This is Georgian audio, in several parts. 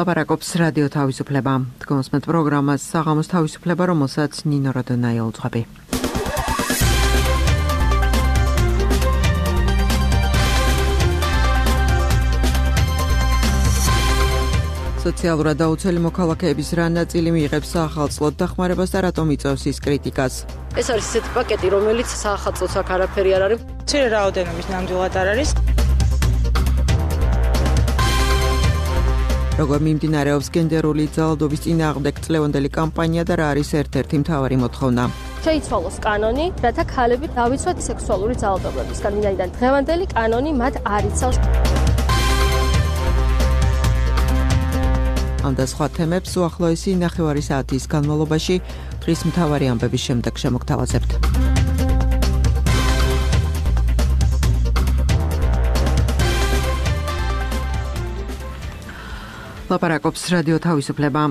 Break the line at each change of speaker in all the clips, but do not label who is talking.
ლაპარაკობს რადიო თავისუფლება. Თქვენს პროგრამას საღამოს თავისუფლება, რომელსაც ნინო როდონაი უძღვები. სოციალურად დაუცველი მოქალაქეების რა ნაწილი მიიღებს საახალწლოდ დახმარებას და რატომ იწევს ის კრიტიკას?
ეს არის ისეთი პაკეტი, რომელიც საახალწლოდ აქ არაფერი არ არის.
მცირე რაოდენობის ნამდვილად არ არის.
როგორ მიმდინარეობს გენდერული ძალადობის წინააღმდეგ წლევანდელი კამპანია და რა არის ერთ-ერთი მთავარი მოთხოვნა?
შეიცვალოს კანონი, რათა ქალები დავიცვათ სექსუალური ძალადობებისგან, ვინაიდან დღევანდელი კანონი მათ არ იცავს. ამ და სხვა თემებს უახლოესი ნახევარი საათის განმავლობაში დღის მთავარი ამბების შემდეგ შემოგთავაზებთ. ლაპარაკობს რადიო თავისუფლება.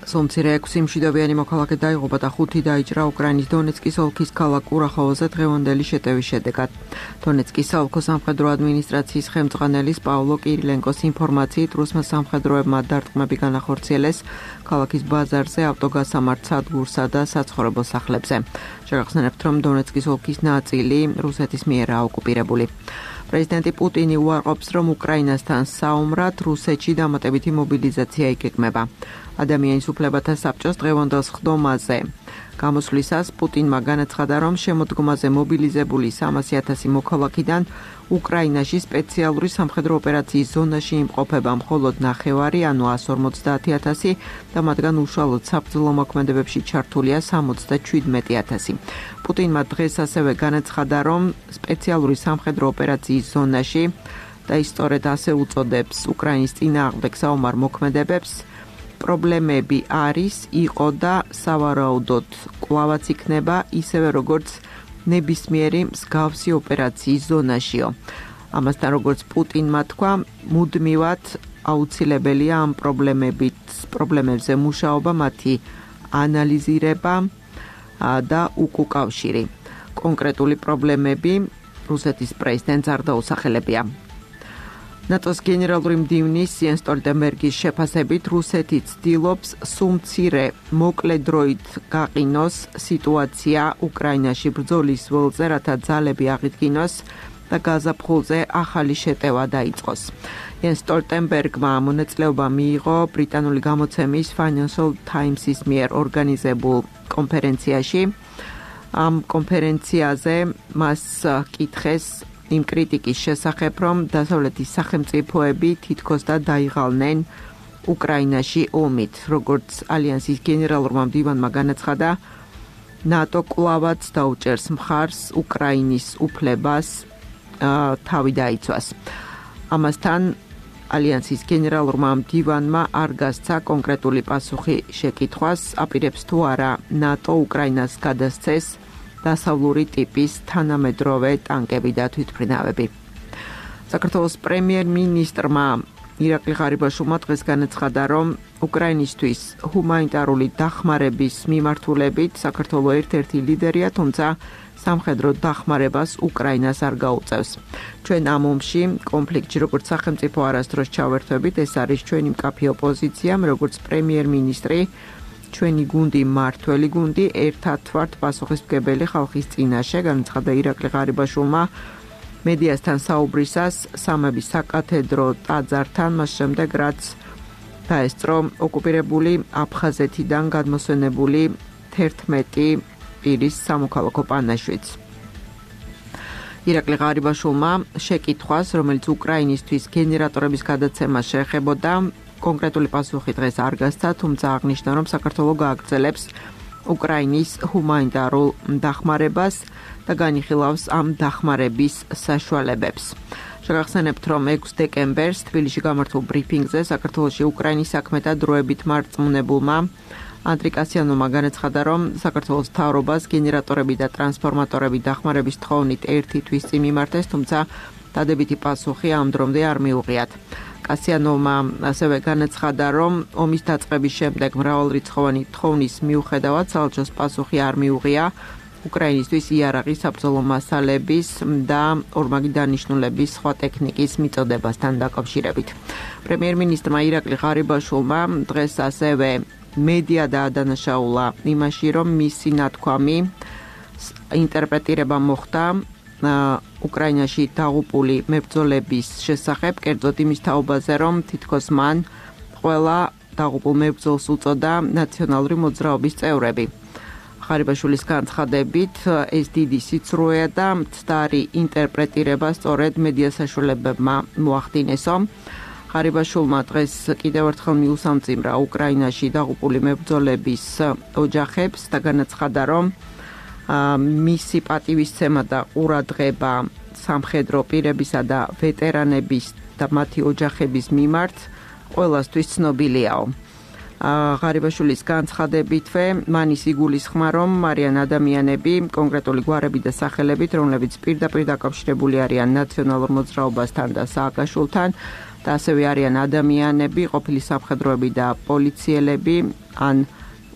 სომცირე 6 მშვიდობიანი მოქალაქე დაიღუპა და 5 დაიჭრა უკრაინის დონეცკის ოლქის ქალაქ კურახოვოზე დღევანდელი შეტევის შედეგად. დონეცკის საოლქო სამხედრო ადმინისტრაციის ხელმძღვანელის პავლო კირილენკოს ინფორმაციით, რუსმა სამხედროებმა დარტყმები განახორციელეს ქალაქის ბაზარზე, ავტოგასამართ სადგურსა და საცხოვრებელ სახლებზე. შეგახსენებთ, რომ დონეცკის ოლქის ნაწილი რუსეთის მიერაა ოკუპირებული. პრეზიდენტი პუტინი უარყოფს, რომ უკრაინასთან საომრად რუსეთში დამატებითი მობილიზაცია იგეგმება. ადამიანის უფლებათა საბჭოს დღევანდელ სხდომაზე გამოსვლისას პუტინმა განაცხადა, რომ შემოდგომაზე მობილიზებული 300,000 მოქალაქიდან უკრაინაში სპეციალური სამხედრო ოპერაციის ზონაში იმყოფება მხოლოდ 900, ანუ 150,000 და მათგან უშუალოდ საბრძოლო მოქმედებებში ჩართულია 77,000. პუტინმა დღეს ასევე განაცხადა, რომ სპეციალური სამხედრო ოპერაციის ზონაში და ისტორიად ასე უწოდებს უკრაინის წინააღმდეგ საომარ მოქმედებებს პრობლემები არის, იყო და სავარაუდოდ კვლავაც იქნება ისევე როგორც ნებისმიერი მსგავსი ოპერაციის ზონაშიო. ამასთან როგორც პუტინმა თქვა, მუდმივად აუცილებელია ამ პრობლემებზე მუშაობა, მათი ანალიზირება და უკავშირი. კონკრეტული პრობლემები რუსეთის პრეზიდენტს არ დაუსახელებია. ნატოს გენერალური მდივნის იენს სტოლტენბერგის შეფასებით რუსეთი ცდილობს სუმცირე მოკლე დროით გაყინოს სიტუაცია უკრაინაში ბრძოლის ველზე, რათა ძალები აღიდგინოს და გაზაფხულზე ახალი შეტევა დაიწყოს. იენს სტოლტენბერგმა მონაწილეობა მიიღო ბრიტანული გამოცემის Financial Times-ის მიერ ორგანიზებულ კონფერენციაში. ამ კონფერენციაზე მას კითხეს იმ კრიტიკის შესახებ, რომ დასავლეთის სახელმწიფოები თითქოს და დაიღალნენ უკრაინაში ომით. როგორც ალიანსის გენერალურმა მდივანმა განაცხადა, ნატო კვლავაც დაუჭერს მხარს უკრაინის უფლებას თავი დაიცვას. ამასთან ალიანსის გენერალურმა მდივანმა არ გასცა კონკრეტული პასუხი შეკითხვას, აპირებს თუ არა ნატო უკრაინას გადასცეს დასავლური ტიპის თანამედროვე ტანკები და თვითმფრინავები. საქართველოს პრემიერ-მინისტრმა ირაკლი ღარიბაშვილმა დღეს განაცხადა, რომ უკრაინისთვის ჰუმანიტარული დახმარების მიმართულებით საქართველო ერთ-ერთი ლიდერია, თუმცა სამხედრო დახმარებას უკრაინას არ გაუწევს. ჩვენ ამ ომში კონფლიქტში როგორც სახელმწიფო არასდროს ჩავერთვებით, ეს არის ჩვენი მკაფიო პოზიცია, როგორც პრემიერ-მინისტრი. ჩვენი გუნდი მართველი გუნდი ერთად ვართ პასუხისმგებელი ხალხის წინაშე, განაცხადა ირაკლი ღარიბაშვილმა მედიასთან საუბრისას სამების საკათედრო ტაძართან, მას შემდეგ რაც დაესწრო ოკუპირებული აფხაზეთიდან გადმოსვენებული 11 პირის სამოქალაქო პანაშვიდს. ირაკლი ღარიბაშვილმა შეკითხვას, რომელიც უკრაინისთვის გენერატორების გადაცემა შეეხებოდა, კონკრეტული პასუხი დღეს არ გასცა, თუმცა აღნიშნა, რომ საქართველო გააგრძელებს უკრაინის ჰუმანიტარულ დახმარებას და განიხილავს ამ დახმარების საშუალებებს. შეგახსენებთ, რომ 6 დეკემბერს თბილისში გამართულ ბრიფინგზე საქართველოში უკრაინის საქმეთა დროებით მარწმუნებულმა ანდრი კასიანოვმა განაცხადა, რომ საქართველოს მთავრობას გენერატორები და ტრანსფორმატორები დახმარების თხოვნით ერთი თვის წინ მიმართეს, თუმცა დადებითი პასუხი ამ დრომდე არ მიუღიათ. კასიანოვმა ასევე განაცხადა, რომ ომის დაწყების შემდეგ მრავალრიცხოვანი თხოვნის მიუხედავად საელჩოს პასუხი არ მიუღია უკრაინისთვის იარაღის საბრძოლო მასალების და ორმაგი დანიშნულების სხვა ტექნიკის მიწოდებასთან დაკავშირებით. პრემიერ-მინისტრმა ირაკლი ღარიბაშვილმა დღეს ასევე მედია დაადანაშაულა იმაში, რომ მისი ნათქვამი ინტერპრეტირება მოხდა უკრაინაში დაღუპული მებრძოლების შესახებ, კერძოდ იმის თაობაზე, რომ თითქოს მან ყველა დაღუპულ მებრძოლს უწოდა ნაციონალური მოძრაობის წევრები. ღარიბაშვილის განცხადებით, ეს დიდი სიცრუეა და მცდარი ინტერპრეტირება სწორედ მედია საშუალებებმა მოახდინესო. ღარიბაშვილმა დღეს კიდევ ერთხელ მიუსამძიმრა უკრაინაში დაღუპული მებრძოლების ოჯახებს და განაცხადა, რომ მისი პატივისცემა და ყურადღება სამხედრო პირებისა და ვეტერანების და მათი ოჯახების მიმართ ყველასთვის ცნობილიაო. ღარიბაშვილის განცხადებითვე მან ის იგულისხმა, რომ არიან ადამიანები, კონკრეტული გვარები და სახელებით, რომლებიც პირდაპირ დაკავშირებული არიან ნაციონალურ მოძრაობასთან და სააკაშვილთან და ასევე არიან ადამიანები, ყოფილი სამხედროები და პოლიციელები, ან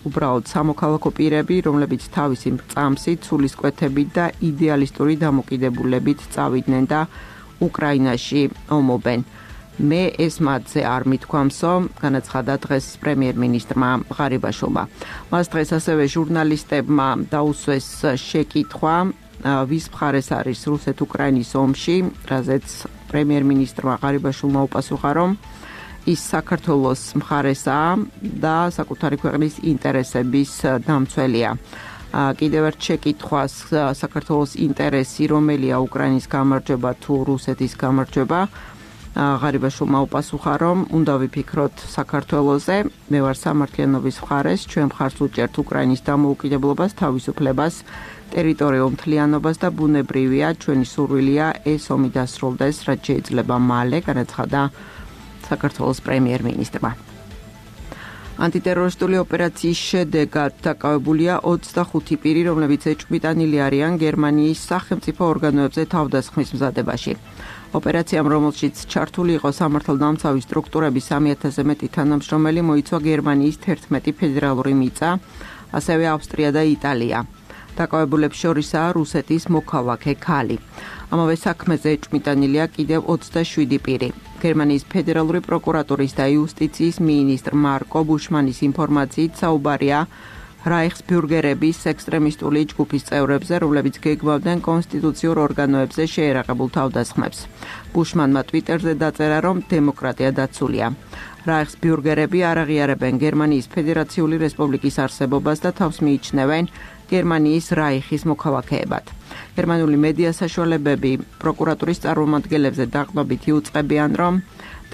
უბრალოდ სამოქალაქო პირები, რომლებიც თავისი მრწამსით, სულისკვეთებით და იდეალისტური დამოკიდებულებით წავიდნენ და უკრაინაში ომობენ. მე ეს მათზე არ მithქვამსო, განაცხადა დღეს პრემიერ-მინისტრმა ღარიბაშვილმა. მას დღეს ასევე ჟურნალისტებმა დაუსვეს შეკითხვა, ვის მხარეს არის რუსეთ-უკრაინის ომში, რაზეც პრემიერ-მინისტრმა ღარიბაშვილმა უპასუხა, რომ ის საქართველოს მხარესაა და საკუთარი ქვეყნის ინტერესების დამცველია. კიდევ ერთ შეკითხვას საქართველოს ინტერესი რომელია უკრაინის გამარჯვება თუ რუსეთის გამარჯვება, ღარიბაშვილმა უპასუხა, რომ უნდა ვიფიქროთ საქართველოზე, მე ვარ სამართლიანობის მხარეს, ჩვენ მხარს უჭერთ უკრაინის დამოუკიდებლობას, თავისუფლებას, ტერიტორიულ მთლიანობას და ბუნებრივია, ჩვენი სურვილია ეს ომი დასრულდეს, რაც შეიძლება მალე, განაცხადა საქართველოს პრემიერ-მინისტრმა. ანტიტერორისტული ოპერაციის შედეგად დაკავებულია 25 პირი, რომლებიც ეჭვმიტანილი არიან გერმანიის სახელმწიფო ორგანოებზე თავდასხმის მზადებაში. ოპერაციამ, რომელშიც ჩართული იყო სამართალდამცავი სტრუქტურების 3000-ზე მეტი თანამშრომელი, მოიცვა გერმანიის 11 ფედერალური მიწა, ასევე ავსტრია და იტალია. დაკავებულებს შორისაა რუსეთის მოქალაქე ქალი. ამავე საქმეზე ეჭვმიტანილია კიდევ 27 პირი. გერმანიის ფედერალური პროკურატურის და იუსტიციის მინისტრ მარკო ბუშმანის ინფორმაციით საუბარია რაიხსბიურგერების ექსტრემისტული ჯგუფის წევრებზე, რომლებიც გეგმავდნენ კონსტიტუციურ ორგანოებზე შეერაღებულ თავდასხმებს. ბუშმანმა ტვიტერზე დაწერა, რომ დემოკრატია დაცულია. რაიხსბიურგერები არ აღიარებენ გერმანიის ფედერაციული რესპუბლიკის არსებობას და თავს მიიჩნევენ გერმანიის რაიხის მოქალაქეებად. გერმანული მედია საშუალებები პროკურატურის წარმომადგენლებზე დაყრდნობით იუწყებიან, რომ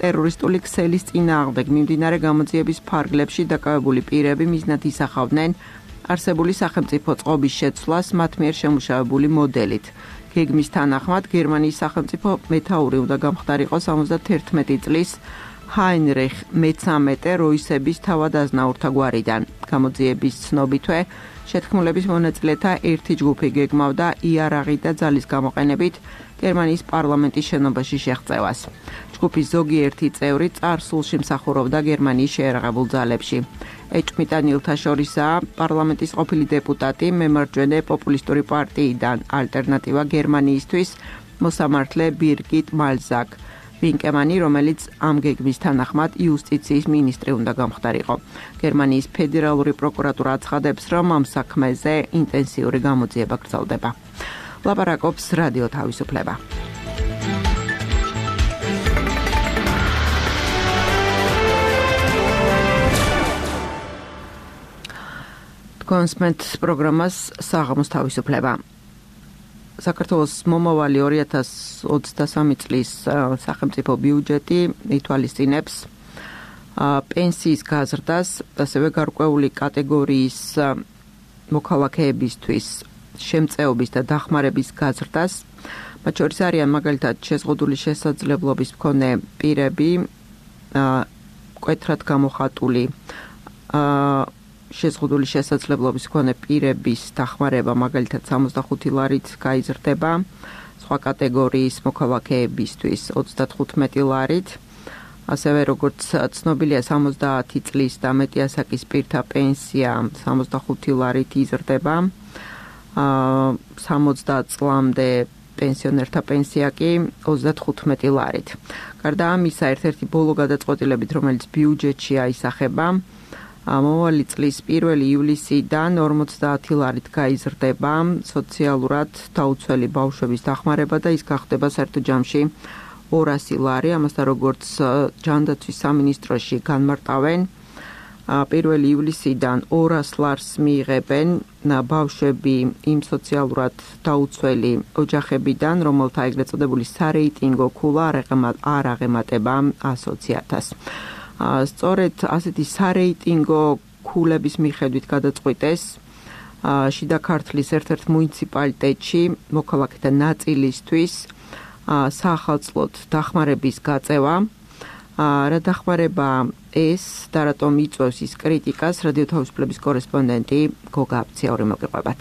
ტერორისტული ქსელის წინააღმდეგ მიმდინარე გამოძიების ფარგლებში დაკავებული პირები მიზნად ისახავდნენ არსებული სახელმწიფო წყობის შეცვლას მათ მიერ შემუშავებული მოდელით. გეგმის თანახმად გერმანიის სახელმწიფო მეთაური უნდა გამხდარიყო 71 წლის ჰაინრიხ მე-13 როისების თავად-აზნაურთა გვარიდან. გამოძიების ცნობითვე შეთქმულების მონაწილეთა ერთი ჯგუფი გეგმავდა იარაღით და ძალის გამოყენებით გერმანიის პარლამენტის შენობაში შეღწევას. ჯგუფის ზოგიერთი წევრი წარსულში მსახურობდა გერმანიის შეერაღებულ ძალებში. ეჭვმიტანილთა შორისაა პარლამენტის ყოფილი დეპუტატი მემარჯვენე პოპულისტური პარტიიდან ალტერნატივა გერმანიისთვის მოსამართლე ბირგიტ მალზაკ ვინკემანი, რომელიც ამ გეგმის თანახმად იუსტიციის მინისტრი უნდა გამხდარიყო. გერმანიის ფედერალური პროკურატურა აცხადებს, რომ ამ საქმეზე ინტენსიური გამოძიება გრძელდება. ლაპარაკობს რადიო თავისუფლება. კონსმენტ პროგრამას საღამოს თავისუფლება. საქართველოს მომავალი 2023 წლის სახელმწიფო ბიუჯეტი ითვალისწინებს პენსიის გაზრდას, ასევე გარკვეული კატეგორიის მოქალაქეებისთვის შემწეობის და დახმარების გაზრდას. მათ შორის არიან მაგალითად შეზღუდული შესაძლებლობის მქონე პირები, მკვეთრად გამოხატული შეზღუდული შესაძლებლობის მქონე პირების დახმარება მაგალითად 65 ლარით გაიზრდება, სხვა კატეგორიის მოქალაქეებისთვის 35 ლარით, ასევე როგორც ცნობილია 70 წლის და მეტი ასაკის პირთა პენსია 65 ლარით იზრდება, 60 წლამდე პენსიონერთა პენსია კი 35 ლარით. გარდა ამისა, ერთ-ერთი ბოლო გადაწყვეტილებით, რომელიც ბიუჯეტში აისახება, მომავალი წლის 1 ივლისიდან 50 ლარით გაიზრდება სოციალურად დაუცველი ბავშვების დახმარება და ის გახდება საერთო ჯამში 200 ლარი. ამასთან როგორც ჯანდაცვის სამინისტროში განმარტავენ, 1 ივლისიდან 200 ლარს მიიღებენ ბავშვები იმ სოციალურად დაუცველი ოჯახებიდან, რომელთა ეგრეთ წოდებული სარეიტინგო ქულა არ აღემატება 100,000-ს. სწორედ ასეთი სარეიტინგო ქულების მიხედვით გადაწყვიტეს შიდა ქართლის ერთ-ერთ მუნიციპალიტეტში მოქალაქეთა ნაწილისთვის საახალწლოდ დახმარების გაწევა. რა დახმარება ეს და რატომ იწვევს ის კრიტიკას, რადიო თავისუფლების კორესპონდენტი გოგა აბციაური მოგიყვებათ.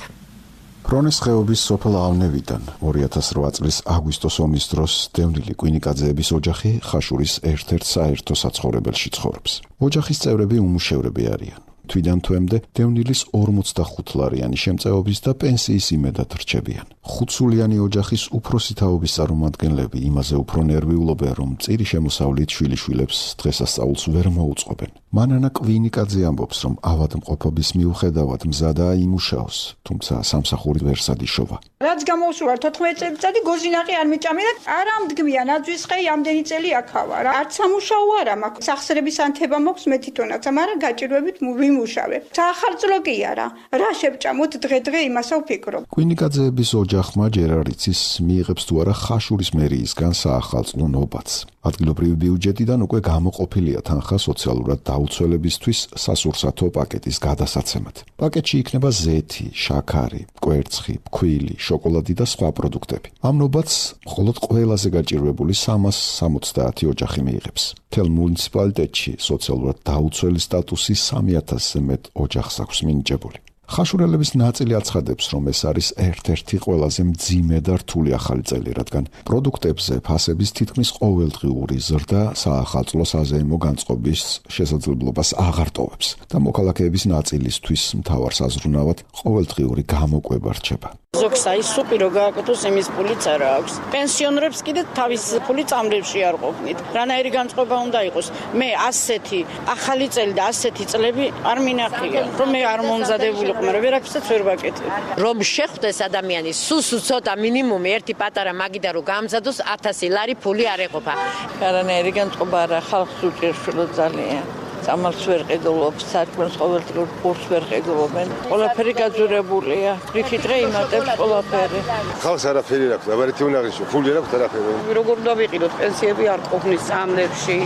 ფრონეს ხეობის სოფელ ავნევიდან 2008 წლის აგვისტოს ომის დროს დევნილი კვინიკაძეების ოჯახი ხაშურის ერთ-ერთ საერთო საცხოვრებელში ცხოვრობს. ოჯახის წევრები უმუშევრები არიან. თვიდან თვემდე დევნილის 45 ლარიანი შემწეობის და პენსიის იმედად რჩებიან. 5 სულიანი ოჯახის უფროსი თაობის წარმომადგენლები იმაზე უფრო ნერვიულობენ, რომ წირი შემოსავლით შვილიშვილებს დღესასწაულს ვერ მოუწყობენ. მანანა კვინიკაძე ამბობს, რომ ავადმყოფობის მიუხედავად მზადაა იმუშაოს, თუმცა სამსახური ვერ სადიშოვა.
რაც გამოუსურვა 14 წელიწადი გოზინაყი არ მიჭამია, არა მდგმია ნაძვის ხე ამდენი წელი აქავა რა. არც სამუშაო არა მაქვს. სახსრების ანთება მოქვს მე თვითონაც, მაგრამ გაჭირვებით ვიმუშავე. საახალწლო კი არა. რა შევჭამოთ დღე-დღე იმასო ვფიქრობ.
კვინიკაძეების ოჯახმა ჯერ არ იცის მიიღებს თუ არა ხაშურის მერიისგან საახალწლო ნობაც. ადგილობრივი ბიუჯეტიდან უკვე გამოყოფილია თანხა სოციალურად დაუცველებისთვის სასურსათო პაკეტის გადასაცემად. პაკეტში იქნება ზეთი, შაქარი, კვერცხი, ფქვილი, შოკოლადი და სხვა პროდუქტები. ამ ნობაც მხოლოდ ყველაზე გაჭირვებული 370 ოჯახი მიიღებს. მთელ მუნიციპალიტეტში სოციალურად დაუცველი სტატუსი 3000-ზე მეტ ოჯახს აქვს მინიჭებული. ხაშურელების ნაწილი აცხადებს, რომ ეს არის ერთ-ერთი ყველაზე მძიმე და რთული ახალი წელი, რადგან პროდუქტებზე ფასების თითქმის ყოველდღიური ზრდა საახალწლო საზეიმო განწყობის შესაძლებლობას აღარ ტოვებს და მოქალაქეების ნაწილისთვის მთავარ საზრუნავად ყოველდღიური გამოკვება რჩება.
ზოგს აი სუპი რო გააკეთოს იმის პულიც არა აქვს. პენსიონერებს კიდე თავის პული წამლებში არ ყოფნით. რანაირი განწყობა უნდა იყოს? მე ასეთი ახალი წელი და ასეთი წლები არ მინახია, რომ მე არ მომზადებული მაგრამ ვერაფერსაც ვერ ვაკეთებ. რომ შეხვდეს ადამიანი, სულ ცოტა მინიმუმი ერთი პატარა მაგიდა რო გამზადოს 1000 ლარი ფული არ ეყოფა.
რანაირი განწყობა არა, ხალხს უჭირს ძალიან. ამას ვერ ყიდულობს, საქმეს ყოველდღიურ კურსს ვერ ყიდულობენ. ყველაფერი გაძვირებულია. რითი დღე იმატებს ყველაფერი.
ხალხს არაფერი აქვს, აბარეთი უნდა აღიშო, ფული არ აქვს არაფერი.
როგორ უნდა ვიყიდოთ, პენსიები არ ყოფნის სამლებში.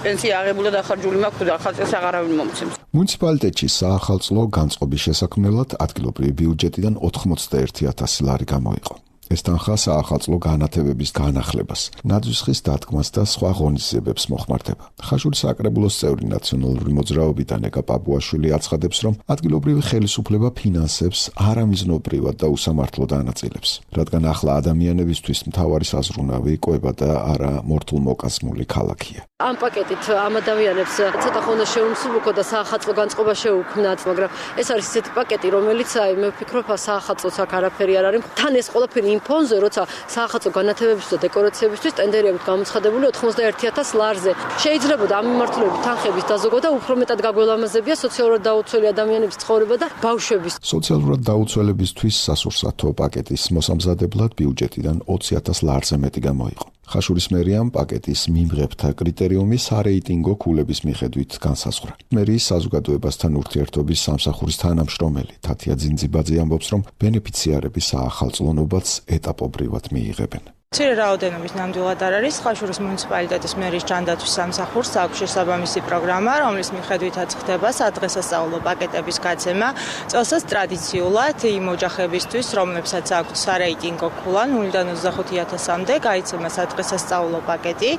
პენსია აღებულა დახარჯული მაქვს და ხალხს აღარავინ მომცემს.
მუნიციპალიტეტში საახალწლო განწყობის შესაქმნელად ადგილობრივი ბიუჯეტიდან 91,000 ლარი გამოიყო. ეს თანხა საახალწლო განათებების განახლებას, ნაძვის ხის დადგმას და სხვა ღონისძიებებს მოხმარდება. ხაშურის საკრებულოს წევრი ნაციონალური მოძრაობიდან ეკა პაპუაშვილი აცხადებს, რომ ადგილობრივი ხელისუფლება ფინანსებს არამიზნობრივად და უსამართლოდ ანაწილებს, რადგან ახლა ადამიანებისთვის მთავარი საზრუნავი კვება და არა მორთულმოკაზმული ქალაქია.
ამ პაკეტით ამ ადამიანებს ცოტა ხონდა შეუმსუბუქო და საახალწლო განწყობა შეუქმნათ, მაგრამ ეს არის ისეთი პაკეტი, რომელიც მე ვფიქრობ, საახალწლოც აქ არაფერი არ არის. თან ეს ყველაფერი იმ ფონზე, როცა საახალწლო განათებებისთვის და დეკორაციებისთვის ტენდერი აქვს გამოცხადებული 91,000 ლარზე. შეიძლება ამ მიმართულებით თანხების დაზოგვა და უფრო მეტად გაგველამაზებია სოციალურად დაუცველი ადამიანების ცხოვრება და ბავშვების.
სოციალურად დაუცველებისთვის სასურსათო პაკეტის მოსამზადებლად ბიუჯეტიდან 20,000 ლარზე მეტი გამოიყო. ხაშურის მერიამ პაკეტის მიმღებთა კრიტერიუმი სარეიტინგო ქულების მიხედვით განსაზღვრა. მერიის საზოგადოებასთან ურთიერთობის სამსახურის თანამშრომელი თათია ძინძიბაძე ამბობს, რომ ბენეფიციარები საახალწლო ნობაც ეტაპობრივად მიიღებენ.
მცირე რაოდენობის ნამდვილად არ არის. ხაშურის მუნიციპალიტეტის მერის ჯანდაცვის სამსახურს აქვს შესაბამისი პროგრამა, რომლის მიხედვითაც ხდება სადღესასწაულო პაკეტების გაცემა. წელსაც ტრადიციულად იმ ოჯახებისთვის, რომლებსაც აქვთ სარეიტინგო ქულა 0-დან 25,000-მდე, გაიცემა სადღესასწაულო პაკეტი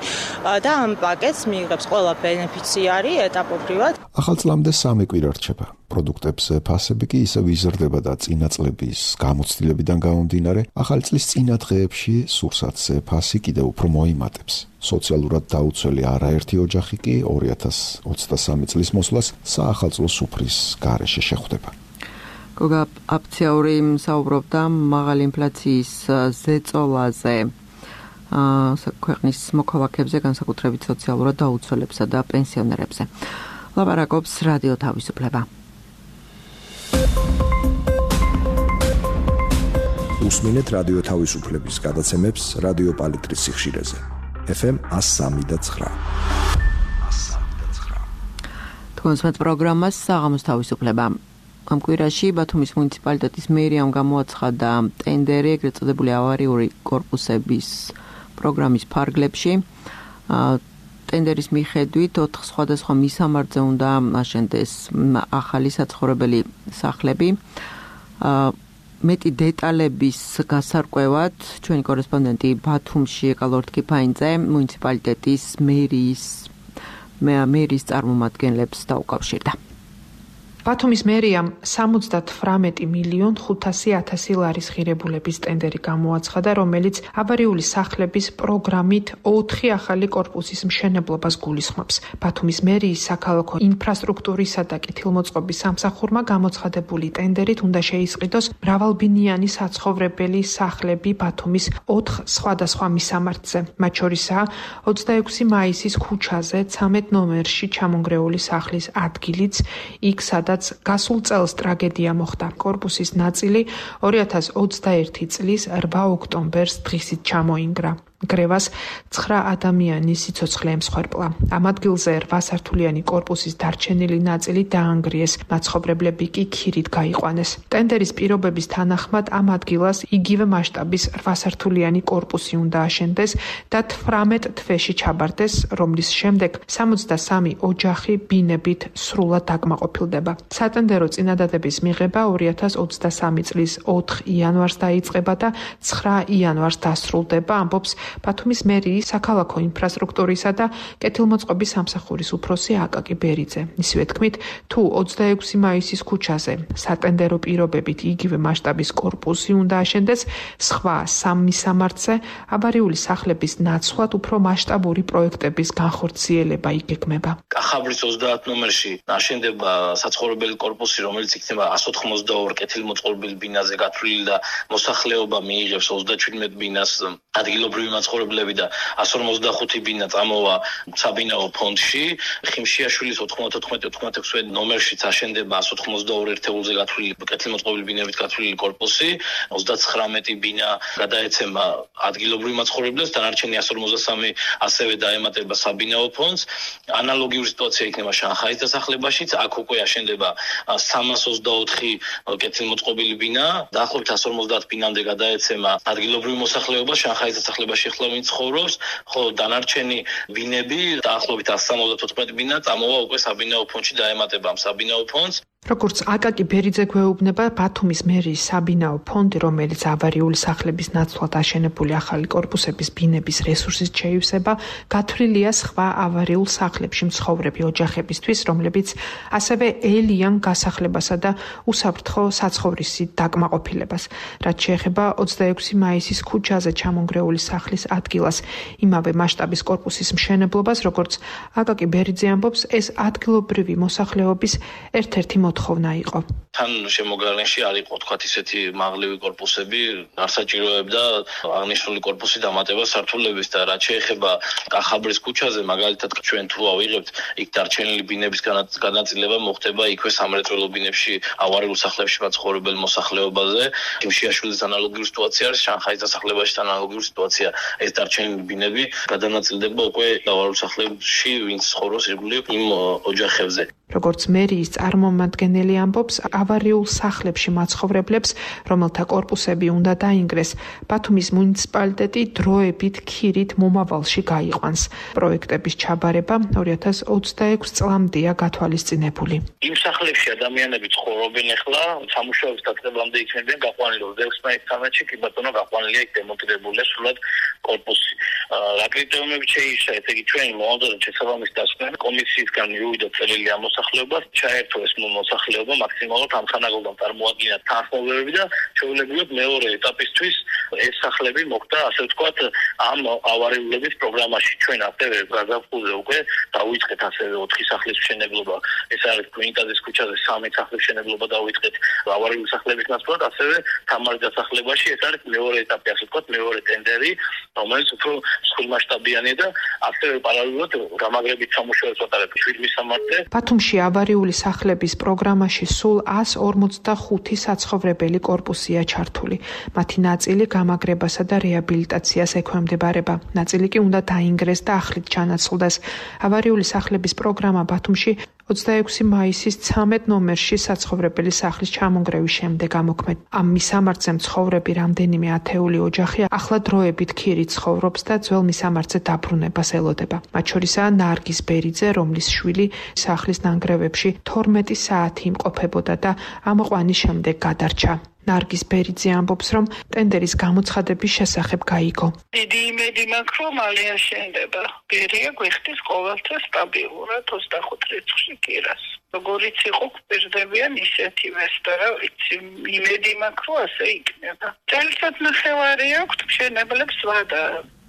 და ამ პაკეტს მიიღებს ყველა ბენეფიციარი ეტაპობრივად.
ახალ წლამდე 3 კვირა რჩება. პროდუქტებზე ფასები კი ისევ იზრდება და წინა წლების გამოცდილებიდან გამომდინარე, ახალი წლის წინა დღეებში სურსათზე ფასი კიდევ უფრო მოიმატებს. სოციალურად დაუცველი არაერთი ოჯახი კი 2023 წლის მოსვლას საახალწლო სუფრის გარეშე შეხვდება.
გოგა აფციაური საუბრობდა მაღალი ინფლაციის ზეწოლაზე. ქვეყნის მოქალაქეებზე, განსაკუთრებით სოციალურად დაუცველებსა და პენსიონერებზე. ლაპარაკობს რადიო თავისუფლება.
უსმინეთ რადიო თავისუფლების გადაცემებს რადიო პალიტრის სიხშირეზე. FM 103.9.
თქვენს პროგრამას საღამოს თავისუფლება. ამ კვირაში ბათუმის მუნიციპალიტეტის მერიამ გამოაცხადა ტენდერი ეგრეთ წოდებული ავარიული კორპუსების პროგრამის ფარგლებში. ტენდერის მიხედვით 4 სხვადასხვა მისამართზე უნდა აშენდეს ახალი საცხოვრებელი სახლები. მეტი დეტალების გასარკვევად ჩვენი კორესპონდენტი ბათუმში ეკალორთ კიფაინძე მუნიციპალიტეტის მერის წარმომადგენლებს დაუკავშირდა.
ბათუმის მერიამ 78,500,000 ლარის ღირებულების ტენდერი გამოაცხადა, რომელიც ავარიული სახლების პროგრამით 4 ახალი კორპუსის მშენებლობას გულისხმობს. ბათუმის მერიის საქალაქო ინფრასტრუქტურისა და კეთილმოწყობის სამსახურმა გამოცხადებული ტენდერით უნდა შეისყიდოს მრავალბინიანი საცხოვრებელი სახლები ბათუმის 4 სხვადასხვა მისამართზე. მათ შორისაა 26 მაისის ქუჩაზე 13 ნომერში ჩამონგრეული სახლის ადგილიც, იქ სადაც გასულ წელს ტრაგედია მოხდა. კორპუსის ნაწილი 2021 წლის 8 ოქტომბერს დღისით ჩამოინგრა. გრევას 9 ადამიანის სიცოცხლე ემსხვერპლა. ამ ადგილზე 8 სართულიანი კორპუსის დარჩენილი ნაწილი დაანგრიეს, მაცხოვრებლები კი ქირით გაიყვანეს. ტენდერის პირობების თანახმად ამ ადგილას იგივე მასშტაბის 8 სართულიანი კორპუსი უნდა აშენდეს და 18 თვეში ჩაბარდეს, რომლის შემდეგ 63 ოჯახი ბინებით სრულად დაკმაყოფილდება. სატენდერო წინადადების მიღება 2023 წლის 4 იანვარს დაიწყება და 9 იანვარს დასრულდება, ამბობს ბათუმის მერიის საქალაქო ინფრასტრუქტურისა და კეთილმოწყობის სამსახურის უფროსი აკაკი ბერიძე. ისივე თქმით, თუ 26 მაისის ქუჩაზე სატენდერო პირობებით იგივე მასშტაბის კორპუსი უნდა აშენდეს, სხვა 3 მისამართზე ავარიული სახლების ნაცვლად უფრო მასშტაბური პროექტების განხორციელება იგეგმება.
კახაბრის 30 ნომერში აშენდება საცხოვრებელი კორპუსი, რომელიც იქნება 192 კეთილმოწყობილ ბინაზე გათვლილი და მოსახლეობა მიიღებს 37 ბინას ადგილობრივი მაცხოვრებლები და 155 ბინა წამოვა საბინაო ფონდში. ხიმშიაშვილის 94-96 ნომერშიც აშენდება 182 ერთეულზე გათვლილი კეთილმოწყობილი ბინებით გათვლილი კორპუსი, 39 ბინა გადაეცემა ადგილობრივ მაცხოვრებლებს, დანარჩენი 153 ასევე დაემატება საბინაო ფონდს. ანალოგიური სიტუაცია იქნება შანხაის დასახლებაშიც, აქ უკვე აშენდება 324 კეთილმოწყობილი ბინა, დაახლოებით 150 ბინამდე გადაეცემა ადგილობრივ მოსახლეობას, შანხაის დასახლებაში ახლა ვინც ცხოვრობს, ხოლო დანარჩენი ბინები დაახლოებით 174 ბინა წამოვა უკვე საბინაო ფონდში დაემატება ამ საბინაო ფონდს.
როგორც აკაკი ბერიძე გვეუბნება, ბათუმის მერიის საბინაო ფონდი, რომელიც ავარიული სახლების ნაცვლად აშენებული ახალი კორპუსების ბინების რესურსის შეივსება, გათვლილია სხვა ავარიულ სახლებში მცხოვრები ოჯახებისთვის, რომლებიც ასევე ელიან გასახლებასა და უსაფრთხო საცხოვრისი დაკმაყოფილებას. რაც შეეხება 26 მაისის ქუჩაზე ჩამონგრეული სახლის ადგილას, იმავე მასშტაბის კორპუსის მშენებლობას, როგორც აკაკი ბერიძე ამბობს, ეს ადგილობრივი მოსახლეობის ერთ-ერთი მოთხოვნა იყო.
თან შემოგარენში არ იყო თქვათ ისეთი მაღლივი კორპუსები, არ საჭიროებდა აღნიშნული კორპუსი დამატება სართულების და რაც შეეხება კახაბრის ქუჩაზე, მაგალითად ჩვენ თუ ავიღებთ, იქ დარჩენილი ბინების განაწილება მოხდება იქვე სამრეწველო ბინებში, ავარიულ სახლებში მაცხოვრებელ მოსახლეობაზე. ხიმშიაშვილის ანალოგიური სიტუაცია არის, შანხაის დასახლებაში ანალოგიური სიტუაცია. ეს დარჩენილი ბინები გადანაწილდება უკვე ავარიულ სახლებში, ვინც ცხოვრობს ირგვლივ იმ ოჯახებზე.
როგორც მერიის წარმომადგენელი ამბობს, ავარიულ სახლებში მაცხოვრებლებს, რომელთა კორპუსები უნდა დაინგრეს, ბათუმის მუნიციპალიტეტი დროებით ქირით მომავალში გაიყვანს. პროექტების ჩაბარება 2026 წლამდეა გათვალისწინებული.
იმ სახლებში ადამიანები ცხოვრობენ ახლა, სამუშაოების დაწყებამდე იქნებიან გაყვანილი 26-13-ში, კი ბატონო გაყვანილია იქ დემონტირებულია სრულად კორპუსი. რა კრიტერიუმებით შეიშვა, ესე იგი ჩვენი მოვალეობრივი შესაბამისი დასკვნა კომისიისგან მივიდა წელილი ამ მოსახლეობას, ჩაერთო ეს მოსახლეობა მაქსიმალურად სამხანაგლოდან წარმოადგენდა თანხმოვანები და შეუძლებელია მეორე ეტაპისთვის ეს სახლები მოხდა, ასე ვთქვათ, ამ ავარიულების პროგრამაში. ჩვენ ასევე გაზაფხულზე უკვე დავიწყეთ ასევე 4 სახლის მშენებლობა. ეს არის გვინკაძის ქუჩაზე 3 სახლის მშენებლობა დავიწყეთ ავარიული სახლების ნაცვლად, ასევე თამარის დასახლებაში ეს არის მეორე ეტაპი, ასე ვთქვათ, მეორე ტენდერი, რომელიც უფრო მსხვილმასშტაბიანია და ასევე პარალელურად გამაგრებით სამუშაოებს ვატარებთ 7 მისამართზე.
ბათუმში ავარიული სახლების პროგრამაში სულ 145 საცხოვრებელი კორპუსია ჩართული. მათი ნაწილი გამაგრებასა და რეაბილიტაციას ექვემდებარება. ნაწილი კი უნდა დაინგრეს და ახლით ჩანაცვლდეს. ავარიული სახლების პროგრამა ბათუმში 26 მაისის 13 ნომერში საცხოვრებელი სახლის ჩამონგრევის შემდეგ ამოქმედ. ამ მისამართზე მცხოვრები რამდენიმე ათეული ოჯახი ახლა დროებით ქირით ცხოვრობს და ძველ მისამართზე დაბრუნებას ელოდება. მათ შორისაა ნარგიზ ბერიძე, რომლის შვილი სახლის ნანგრევებში 12 საათი იმყოფებოდა და ამოყვანის შემდეგ გადარჩა. ნარგიზ ბერიძე ამბობს, რომ ტენდერის გამოცხადების შესახებ გაიგო.
დიდი იმედი მაქვს, რომ მალე აშენდება. ბერია გვიხდის ყოველთვის სტაბილურად 25 რიცხვში კირას. როგორიც იყო გვპირდებიან ისეთივე და რა ვიცი, იმედი მაქვს, რომ ასე იქნება. წელიწად ნახევარი აქვს მშენებლებს ვადა.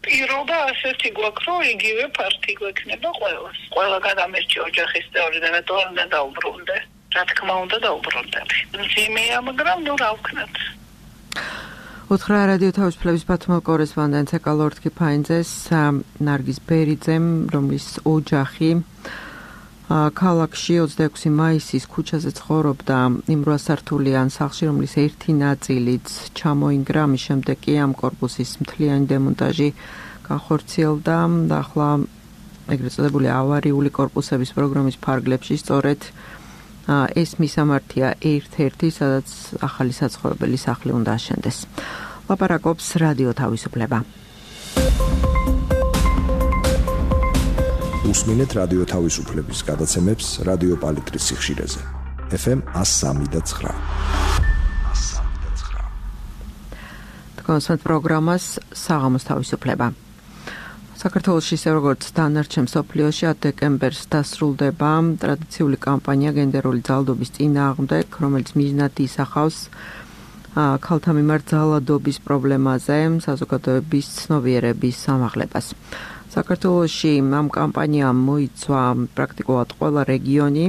პირობა ასეთი გვაქვს, რომ იგივე ფართი გვექნება ყველას. ყველა გადამერჩი ოჯახის წევრი და რატო არ უნდა დაუბრუნდე? რა თქმა უნდა დაუბრუნდები. მძიმეა, მაგრამ ნუ რა ვქნათ.
უთხრა რადიო თავისუფლების ბათუმელ კორესპონდენტს ეკალორდ კიფაინძეს ნარგიზ ბერიძემ, რომლის ოჯახი ქალაქში 26 მაისის ქუჩაზე ცხოვრობდა იმ 8 სართულიან სახლში, რომლის ერთი ნაწილიც ჩამოინგრა, ამის შემდეგ კი ამ კორპუსის მთლიანი დემონტაჟი განხორციელდა და ახლა ეგრეთ წოდებული ავარიული კორპუსების პროგრამის ფარგლებში სწორედ ეს მისამართია ერთ-ერთი, სადაც ახალი საცხოვრებელი სახლი უნდა აშენდეს. ლაპარაკობს რადიო თავისუფლება.
უსმინეთ რადიო თავისუფლების გადაცემებს რადიო პალიტრის სიხშირეზე. FM 103.9.
თქვენ პროგრამას საღამოს თავისუფლება. საქართველოში, ისე როგორც დანარჩენ მსოფლიოში 10 დეკემბერს დასრულდება ტრადიციული კამპანია გენდერული ძალადობის წინააღმდეგ, რომელიც მიზნად ისახავს ქალთა მიმართ ძალადობის პრობლემაზე საზოგადოების ცნობიერების ამაღლებას. საქართველოში ამ კამპანიამ მოიცვა პრაქტიკულად ყველა რეგიონი,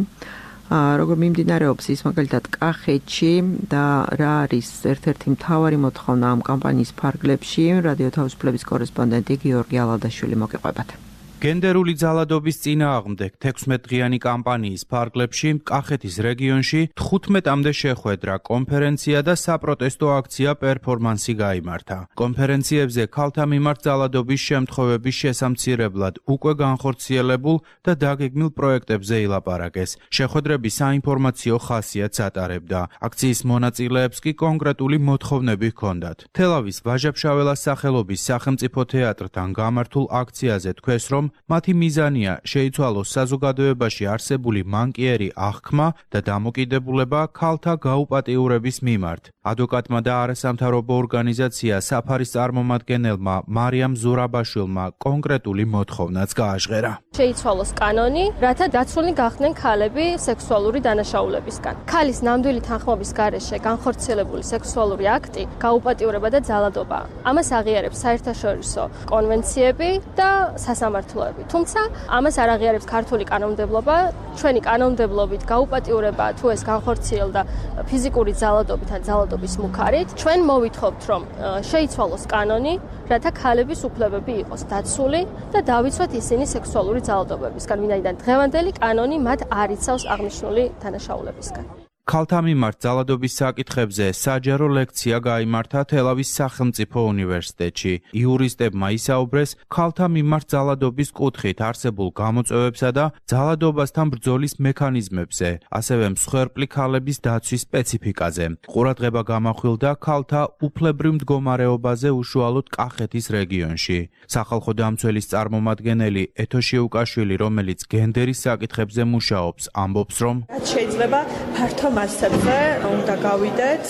როგორ მიმდინარეობს ის მაგალითად კახეთში და რა არის ერთ-ერთი მთავარი მოთხოვნა ამ კამპანიის ფარგლებში, რადიო თავისუფლების კორესპონდენტი გიორგი ალადაშვილი მოგიყვებათ.
გენდერული ძალადობის წინააღმდეგ 16 დღიანი კამპანიის ფარგლებში კახეთის რეგიონში 15-მდე შეხვედრა, კონფერენცია და საპროტესტო აქცია პერფორმანსი გაიმართა. კონფერენციებზე ქალთა მიმართ ძალადობის შემთხვევების შესამცირებლად უკვე განხორციელებულ და დაგეგმილ პროექტებზე ილაპარაკეს. შეხვედრები საინფორმაციო ხასიათს ატარებდა. აქციის მონაწილეებს კი კონკრეტული მოთხოვნები ჰქონდათ. თელავის ვაჟა-ფშაველას სახელობის სახელმწიფო თეატრთან გამართულ აქციაზე თქვეს, რომ მათი მიზანია შეიცვალოს საზოგადოებაში არსებული მანკიერი აღქმა და დამოკიდებულება ქალთა გაუპატიურების მიმართ. ადვოკატმა და არასამთავრობო ორგანიზაცია საფარის წარმომადგენელმა მარიამ ზურაბაშვილმა კონკრეტული მოთხოვნაც გააჟღერა.
შეიცვალოს კანონი, რათა დაცულნი გახდნენ ქალები სექსუალური დანაშაულებისგან. ქალის ნამდვილი თანხმობის გარეშე განხორციელებული სექსუალური აქტი გაუპატიურება და ძალადობაა. ამას აღიარებს საერთაშორისო კონვენციები და სასამართლოები. თუმცა ამას არ აღიარებს ქართული კანონმდებლობა. ჩვენი კანონმდებლობით გაუპატიურება თუ ეს განხორციელდა ფიზიკური ძალადობით ან ძალადობის მუქარით, ჩვენ მოვითხოვთ, რომ შეიცვალოს კანონი, რათა ქალების უფლებები იყოს დაცული და დავიცვათ ისინი სექსუალური ძალადობებისგან, ვინაიდან დღევანდელი კანონი მათ არ იცავს აღნიშნული დანაშაულებისგან.
ქალთა მიმართ ძალადობის საკითხებზე საჯარო ლექცია გაიმართა თელავის სახელმწიფო უნივერსიტეტში. იურისტებმა ისაუბრეს ქალთა მიმართ ძალადობის კუთხით არსებულ გამოწვევებსა და ძალადობასთან ბრძოლის მექანიზმებზე, ასევე მსხვერპლი ქალების დაცვის სპეციფიკაზე. ყურადღება გამახვილდა ქალთა უფლებრივ მდგომარეობაზე უშუალოდ კახეთის რეგიონში. სახალხო დამცველის წარმომადგენელი ეთო შიუკაშვილი, რომელიც გენდერის საკითხებზე მუშაობს, ამბობს, რომ
შეიძლება ფართო
მასებზე უნდა გავიდეთ.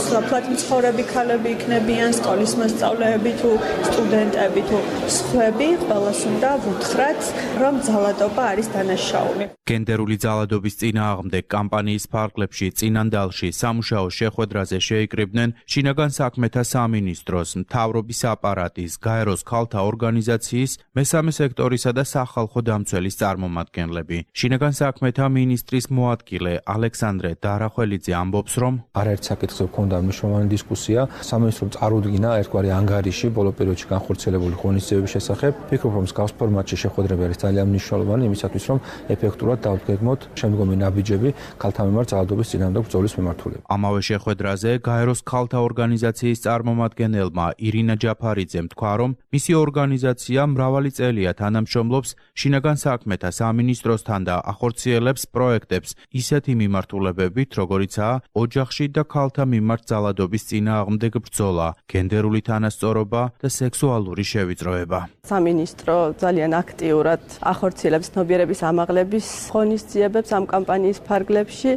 სოფლად მცხოვრები ქალები იქნებიან, სკოლის მოსწავლეები თუ სტუდენტები თუ სხვები, ყველას უნდა ვუთხრათ, რომ ძალადობა არის დანაშაული.
გენდერული ძალადობის წინააღმდეგ კამპანიის ფარგლებში წინანდალში სამუშაო შეხვედრაზე შეიკრიბნენ შინაგან საქმეთა სამინისტროს, მთავრობის აპარატის, გაეროს ქალთა ორგანიზაციის, მესამე სექტორისა და სახალხო დამცველის წარმომადგენლები. შინაგან საქმეთა მინისტრის მოადგილე ალექსანდრე დარახველიძე ამბობს, რომ
არაერთ საკითხზე ჰქონდა მნიშვნელოვანი დისკუსია. სამინისტრომ წარუდგინა ერთგვარი ანგარიში ბოლო პერიოდში განხორციელებული ღონისძიებების შესახებ. ფიქრობ, რომ მსგავს ფორმატში შეხვედრები არის ძალიან მნიშვნელოვანი იმისათვის, რომ ეფექტურად დავდგეგმოთ შემდგომი ნაბიჯები ქალთა მიმართ ძალადობის წინააღმდეგ ბრძოლის მიმართულებით.
ამავე შეხვედრაზე გაეროს ქალთა ორგანიზაციის წარმომადგენელმა ირინა ჯაფარიძემ თქვა, რომ მისი ორგანიზაცია მრავალი წელია თანამშრომლობს შინაგან საქმეთა სამინისტროსთან და ახორციელებს პროექტებს ისეთი მიმართულებებით, როგორიცაა ოჯახში და ქალთა მიმართ ძალადობის წინააღმდეგ ბრძოლა, გენდერული თანასწორობა და სექსუალური შევიწროება.
სამინისტრო ძალიან აქტიურად ახორციელებს ცნობიერების ამაღლების ღონისძიებებს ამ კამპანიის ფარგლებში,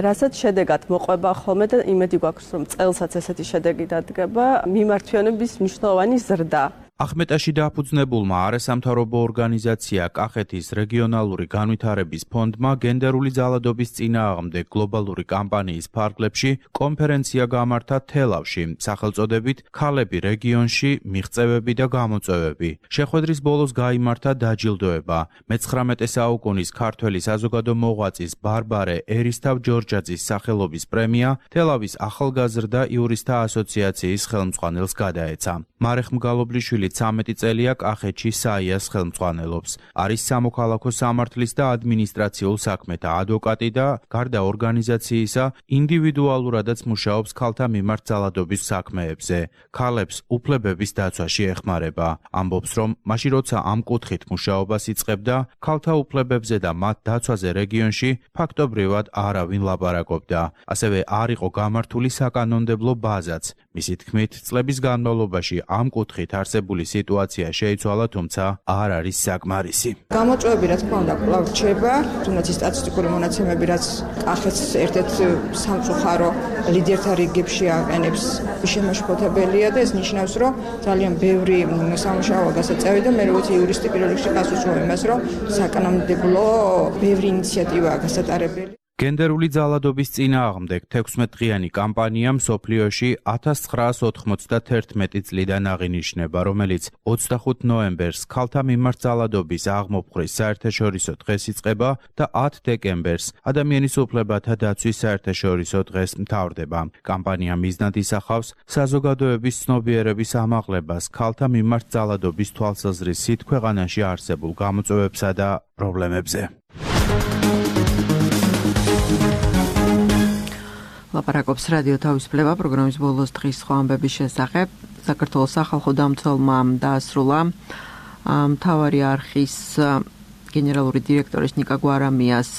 რასაც შედეგად მოყვება ხოლმე და იმედი გვაქვს, რომ წელსაც ესეთი შედეგი დადგება, მიმართვიანების მნიშვნელოვანი ზრდა.
ახმეტაში დაფუძნებულმა არასამთავრობო ორგანიზაცია კახეთის რეგიონალური განვითარების ფონდმა გენდერული ძალადობის წინააღმდეგ გლობალური კამპანიის ფარგლებში კონფერენცია გამართა თელავში, სახელწოდებით „ქალები რეგიონში, მიღწევები და გამოწვევები“. შეხვედრის ბოლოს გაიმართა დაჯილდოება. მე-19 საუკუნის ქართველი საზოგადო მოღვაწის ბარბარე ერისთავ-ჯორჯაძის სახელობის პრემია თელავის ახალგაზრდა იურისტთა ასოციაციის ხელმძღვანელს გადაეცა. მარეხ მგალობლიშვილი 13 წელია კახეთში საიას ხელმძღვანელობს. არის სამოქალაქო სამართლის და ადმინისტრაციულ საქმეთა ადვოკატი და გარდა ორგანიზაციისა ინდივიდუალურადაც მუშაობს ქალთა მიმართ ძალადობის საქმეებზე. ქალებს უფლებების დაცვაში ეხმარება. ამბობს, რომ მაშინ როცა ამ კუთხით მუშაობას იწყებდა, ქალთა უფლებებზე და მათ დაცვაზე რეგიონში ფაქტობრივად არავინ ლაპარაკობდა. ასევე არ იყო გამართული საკანონმდებლო ბაზაც. მისი თქმით, წლების განმავლობაში ამ კუთხით არსებული სიტუაცია შეიცვალა, თუმცა არ არის საკმარისი.
გამოწვევები, რა თქმა უნდა, კვლავ რჩება, თუნდაც სტატისტიკური მონაცემები, რაც კახეთს ერთ-ერთ სამწუხარო ლიდერთა რიგებში აყენებს, შემაშფოთებელია და ეს ნიშნავს, რომ ძალიან ბევრი სამუშაოა გასაწევი და მე როგორც იურისტი პირველ რიგში გასულწრებ იმას, რომ საკანონმდებლო ბევრი ინიციატივაა გასატარებელი.
გენდერული ძალადობის წინააღმდეგ 16-დღიანი კამპანია მსოფლიოში 1991 წლიდან აღინიშნება, რომელიც 25 ნოემბერს ქალთა მიმართ ძალადობის აღმოფხრის საერთაშორისო დღეს იწყება და 10 დეკემბერს ადამიანის უფლებათა დაცვის საერთაშორისო დღეს მთავრდება. კამპანია მიზნად ისახავს საზოგადოების ცნობიერების ამაღლებას ქალთა მიმართ ძალადობის თვალსაზრისით ქვეყანაში არსებულ გამოწვევებსა და პრობლემებზე.
ლაპარაკობს რადიო თავისუფლება პროგრამის ბოლოს დღის სხვა ამბების შესახებ. საქართველოს სახალხო დამცველმა დაასრულა მთავარი არხის გენერალური დირექტორის ნიკა გვარამიას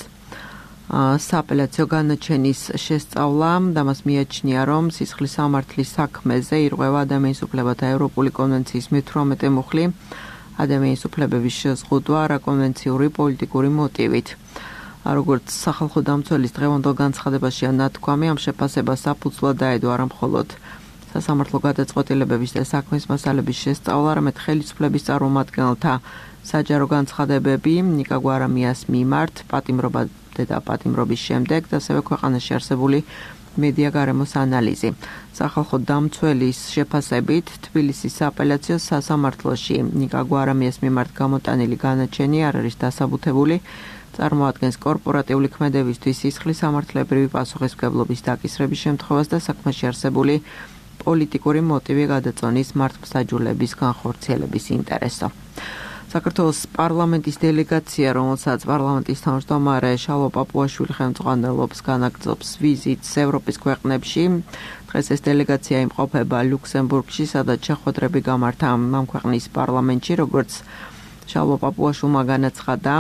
სააპელაციო განაჩენის შესწავლა და მას მიაჩნია, რომ სისხლის სამართლის საქმეზე ირღვევა ადამიანის უფლებათა ევროპული კონვენციის მე-18 მუხლი ადამიანის უფლებების შეზღუდვა რაკონვენციური პოლიტიკური მოტივით. როგორც სახალხო დამცველის დღევანდელ განცხადებაშია ნათქვამი, ამ შეფასებას საფუძვლად დაედო არა მხოლოდ სასამართლო გადაწყვეტილებების და საქმის მასალების შესწავლა, არამედ ხელისუფლების წარმომადგენელთა საჯარო განცხადებები ნიკა გვარამიას მიმართ პატიმრობა და პატიმრობის შემდეგ და ასევე ქვეყანაში არსებული მედია გარემოს ანალიზი. სახალხო დამცველის შეფასებით თბილისის სააპელაციო სასამართლოში ნიკა გვარამიას მიმართ გამოტანილი განაჩენი არ არის დასაბუთებული. წარმოადგენს კორპორატიული ქმედებისთვის სისხლის სამართლებრივი პასუხისმგებლობის დაკისრების შემთხვევას და საქმეში არსებული პოლიტიკური მოტივი გადაწონის მართლმსაჯულების განხორციელების ინტერესო. საქართველოს პარლამენტის დელეგაცია, რომელსაც პარლამენტის თავმჯდომარე შალვა პაპუაშვილი ხელმძღვანელობს, განაგრძობს ვიზიტს ევროპის ქვეყნებში. დღეს ეს დელეგაცია იმყოფება ლუქსემბურგში, სადაც შეხვედრები გამართა ამ ქვეყნის პარლამენტში, როგორც შალვა პაპუაშვილმა განაცხადა.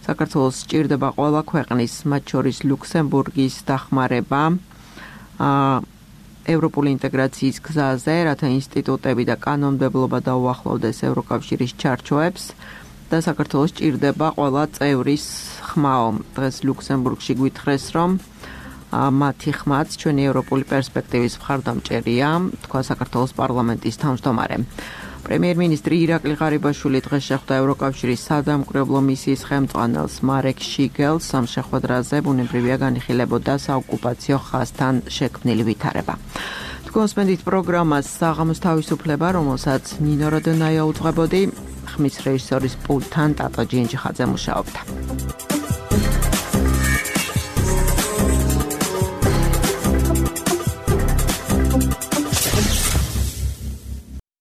საქართველოს სჭირდება ყველა ქვეყნის, მათ შორის ლუქსემბურგის დახმარება ევროპული ინტეგრაციის გზაზე, რათა ინსტიტუტები და კანონმდებლობა დაუახლოვდეს ევროკავშირის ჩარჩოებს და საქართველოს სჭირდება ყველა წევრის ხმაო. დღეს ლუქსემბურგში გვითხრეს, რომ მათი ხმაც ჩვენი ევროპული პერსპექტივის მხარდამჭერია, თქვა საქართველოს პარლამენტის თავმჯდომარე. პრემიერ-მინისტრი ირაკლი ღარიბაშვილი დღეს შეხვდა ევროკავშირის სადამკვირვებლო მისიის ხელმძღვანელს მარეკ შიგელს. ამ შეხვედრაზე ბუნებრივია განიხილებოდა საოკუპაციო ხაზთან შექმნილი ვითარება. თქვენსმენდით პროგრამას საღამოს თავისუფლება, რომელსაც ნინო როდონაია უძღვებოდი, ხმის რეჟისორის პულტთან ტატო ჯინჯიხაძე მუშაობდა.